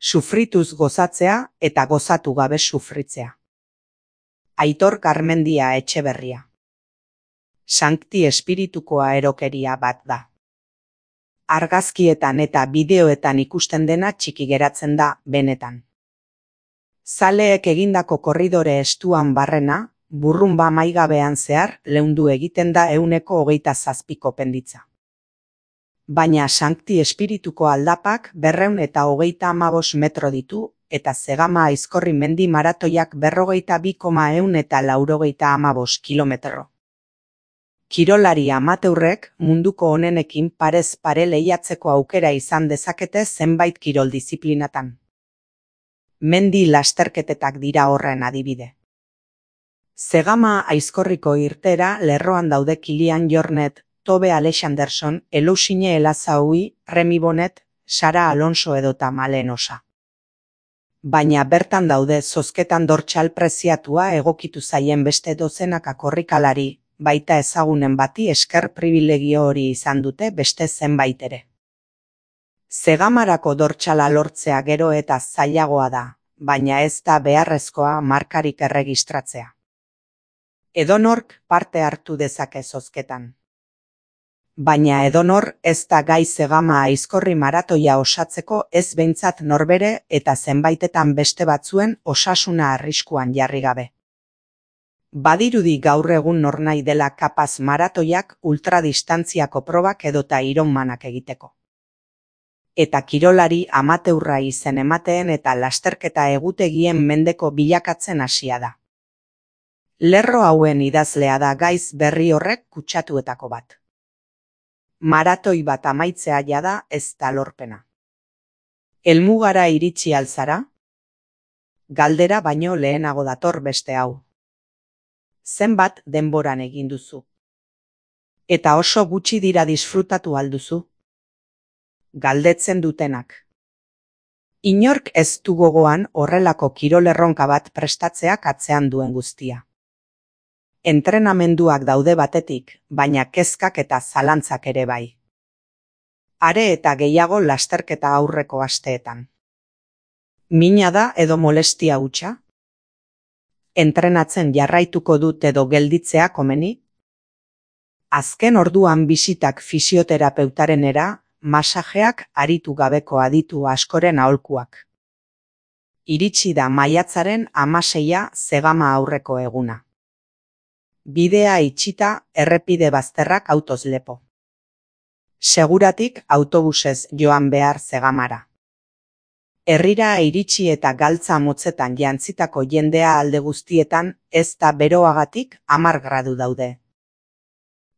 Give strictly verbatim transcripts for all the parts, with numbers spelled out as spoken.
Sufrituz gozatzea eta gozatu gabe sufritzea. Aitor Garmendia Etxeberria. Sankti espiritukoa erokeria bat da. Argazkietan eta bideoetan ikusten dena txiki geratzen da, benetan. Zaleek egindako korridore estuan barrena, burrunba maigabean zehar, leundu egiten da euneko hogeita zazpiko penditza. Baina sankti espirituko aldapak berreun eta hogeita amabos metro ditu, eta Zegama Aizkorri mendi maratoiak berrogeita bi koma eun eta laurogeita amabos kilometro. Kirolari amateurrek munduko onenekin parez pare lehiatzeko aukera izan dezakete zenbait kirol disiplinatan. Mendi lasterketetak dira horren adibide. Zegama Aizkorriko irtera lerroan daude Kilian Jornet, Tobe Alexanderson, Elousine Elazaui, Remy Bonnet, Sara Alonso edota Malen Osa. Baina bertan daude zozketan dortsal preziatua egokitu zaien beste dozenaka korrikalari, baita ezagunen bati esker pribilegio hori izan dute beste zenbait ere. Zegamarako dortsala lortzea gero eta zailagoa da, baina ez da beharrezkoa markarik erregistratzea. Edonork parte hartu dezake zozketan. Baina edonor ez da gai Zegama Aizkorri maratoia osatzeko ez behintzat norbere eta zenbaitetan beste batzuen osasuna arriskuan jarri gabe. Badirudi gaur egun nornai dela kapaz maratoiak ultradistantziako probak edota ironmanak egiteko. Eta kirolari amateurra izen emateen eta lasterketa egutegien mendeko bilakatzen hasia da. Lerro hauen idazlea da gaiz berri horrek kutsatuetako bat. Maratoi bat amaitzea jada ez da lorpena. Helmugara iritsi alzara? Galdera baino lehenago dator beste hau. Zenbat denboran egin duzu? Eta oso gutxi dira disfrutatu alduzu? Galdetzen dutenak. Inork ez du gogoan horrelako kirolerronka bat prestatzeak atzean duen guztia. Entrenamenduak daude batetik, baina kezkak eta zalantzak ere bai. Are eta gehiago lasterketa aurreko asteetan. Mina da edo molestia hutsa? Entrenatzen jarraituko dut edo gelditzea komeni? Azken orduan bisitak fisioterapeutarena, masajeak aritu gabeko aditu askoren aholkuak. Iritsi da maiatzaren hamaseia Zegama aurreko eguna. Bidea itxita, errepide bazterrak autoz lepo. Seguratik autobusez joan behar Zegamara. Herrira iritsi eta galtza motzetan jantzitako jendea alde guztietan ez da beroagatik hamar gradu daude.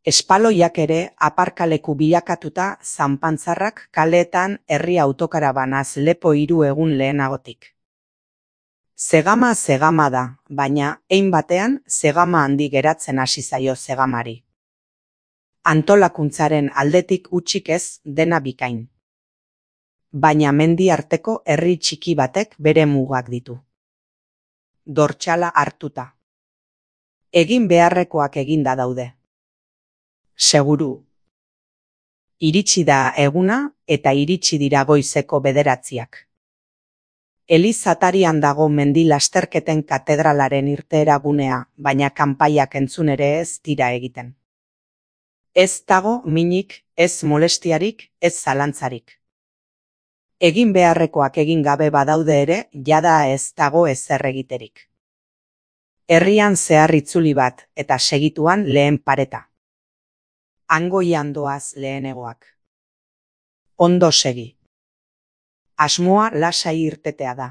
Espaloiak ere aparkaleku bilakatuta zanpantzarrak kaleetan herri autokarabanaz lepo hiru egun lehenagotik. Zegama Zegama da, baina hein batean Zegama handi geratzen hasi zaio Zegamari. Antolakuntzaren aldetik hutsik ez dena bikain. Baina mendi arteko herri txiki batek bere mugak ditu. Dortsala hartuta. Egin beharrekoak eginda daude. Seguru. Iritsi da eguna eta iritsi dira goizeko bederatziak. Elizatarian dago mendi lasterketen katedralaren irteera gunea, baina kanpaiak entzun ere ez dira egiten. Ez dago minik, ez molestiarik, ez zalantzarik. Egin beharrekoak egin gabe badaude ere, jada ez dago ezer egiterik. Herrian zehar itzuli bat, eta segituan lehen pareta. Hangoian doaz lehenegoak. Ondo segi. Asmoa lasai irtetea da.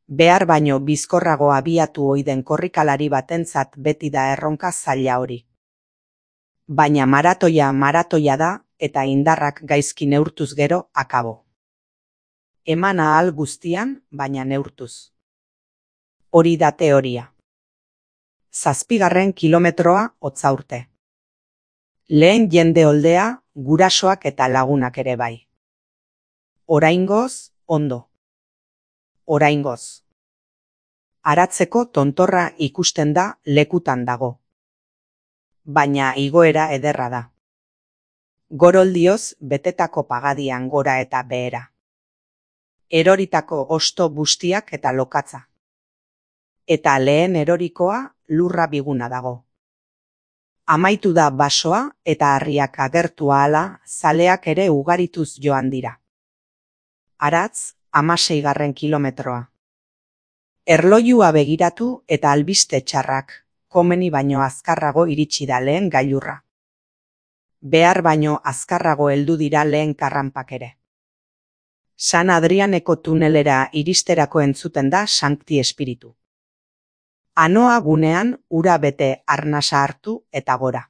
Behar baino bizkorrago abiatu oiden korrikalari batentzat beti da erronka zaila hori. Baina maratoia maratoia da eta indarrak gaizki neurtuz gero akabo. Eman ahal guztian, baina neurtuz. Hori da teoria. Zazpigarren kilometroa hotza urte. Lehen jende oldea, gurasoak eta lagunak ere bai. Oraingoz, ondo. Oraingoz. Aratzeko tontorra ikusten da lekutan dago. Baina igoera ederra da. Goroldioz betetako pagadian gora eta behera. eroritako hosto bustiak eta lokatza. Eta lehen erorikoa lurra biguna dago. Amaitu da basoa eta harriak agertu ahala zaleak ere ugarituz joan dira. Aratz, hamaseigarren kilometroa. Erloilua begiratu eta albiste txarrak, komeni baino azkarrago iritsi da lehen gailurra. Behar baino azkarrago heldu dira lehen karranpak ere. San Adrianeko tunelera iristerako entzuten da Sancti Espiritu. Anoa gunean ura bete arnasa hartu eta gora.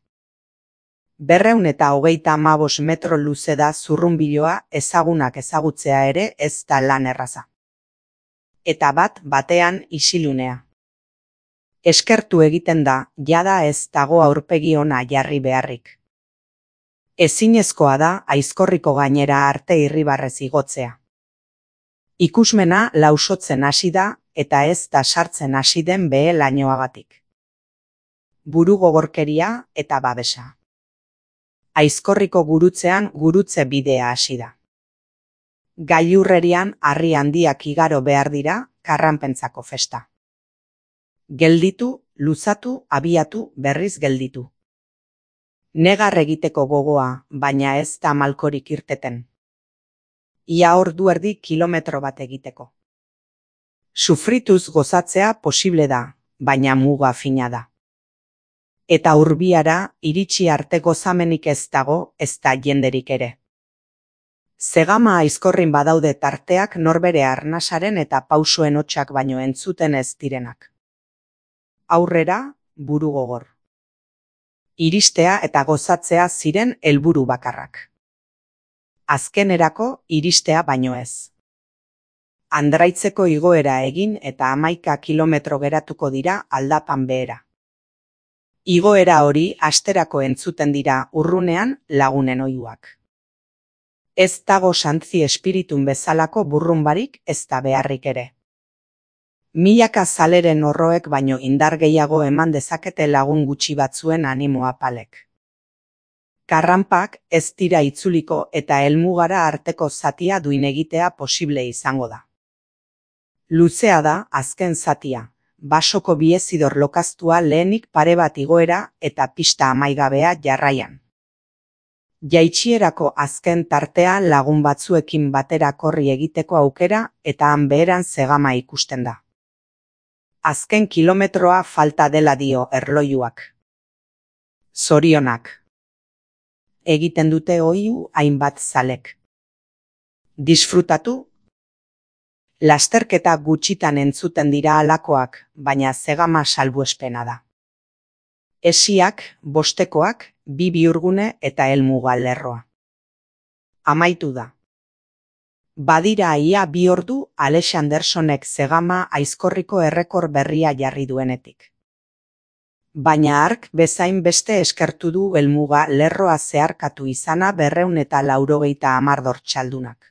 Berreun eta hogeita hamabos metro luze da zurrunbiloa ezagunak ezagutzea ere ez da lan erraza. Eta bat batean isilunea. Eskertu egiten da, jada ez dago aurpegi ona jarri beharrik. Ezinezkoa da Aizkorriko gainera arte irribarrez igotzea. Ikusmena lausotzen hasi da eta ez da sartzen hasi den behe lainoagatik. Buru gogorkeria eta babesa. Aizkorriko gurutzean gurutze bidea hasi da. Gailurrerian harri handiak igaro behar dira karranpentzako festa. Gelditu, luzatu, abiatu, berriz gelditu. Negar egiteko gogoa, baina ez da malkorik irteten. Ia ordu erdi kilometro bat egiteko. Sufrituz gozatzea posible da, baina muga fina da. Eta urbiara iritsi arte gozamenik ez dago, ez da jenderik ere. Zegama Aizkorrin badaude tarteak norbere arnasaren eta pausuen hotsak baino entzuten ez direnak. Aurrera, buru gogor. Iristea eta gozatzea ziren helburu bakarrak. Azkenerako iristea baino ez. Andraitzeko igoera egin eta hamaika kilometro geratuko dira aldapan behera. Igoera hori asterako entzuten dira urrunean lagunen oihuak. Ez dago Sancti Espiritun bezalako burrunbarik ez da beharrik ere. Milaka zaleren horroek baino indar gehiago eman dezakete lagun gutxi batzuen animoa palek. Karranpak ez dira itzuliko eta helmugara arteko zatia duin egitea posible izango da. Luzea da azken zatia, basoko biezidor lokaztua lehenik pare bat igoera eta pista amaigabea jarraian. Jaitsierako azken tartea lagun batzuekin batera korri egiteko aukera eta han beheran zegama ikusten da. Azken kilometroa falta dela dio erlojuak. Zorionak. Egiten dute oihu hainbat zalek. Disfrutatu. Lasterketa gutxitan entzuten dira halakoak, baina zegama salbuespena da. Esiak, bostekoak, bi bihurgune eta helmuga lerroa. Amaitu da. Badira ia bi ordu Alexandersonek zegama Aizkorriko errekor berria jarri duenetik. Baina hark bezain beste eskertu du helmuga lerroa zeharkatu izana berreun eta laurogeita hamar dortxaldunak.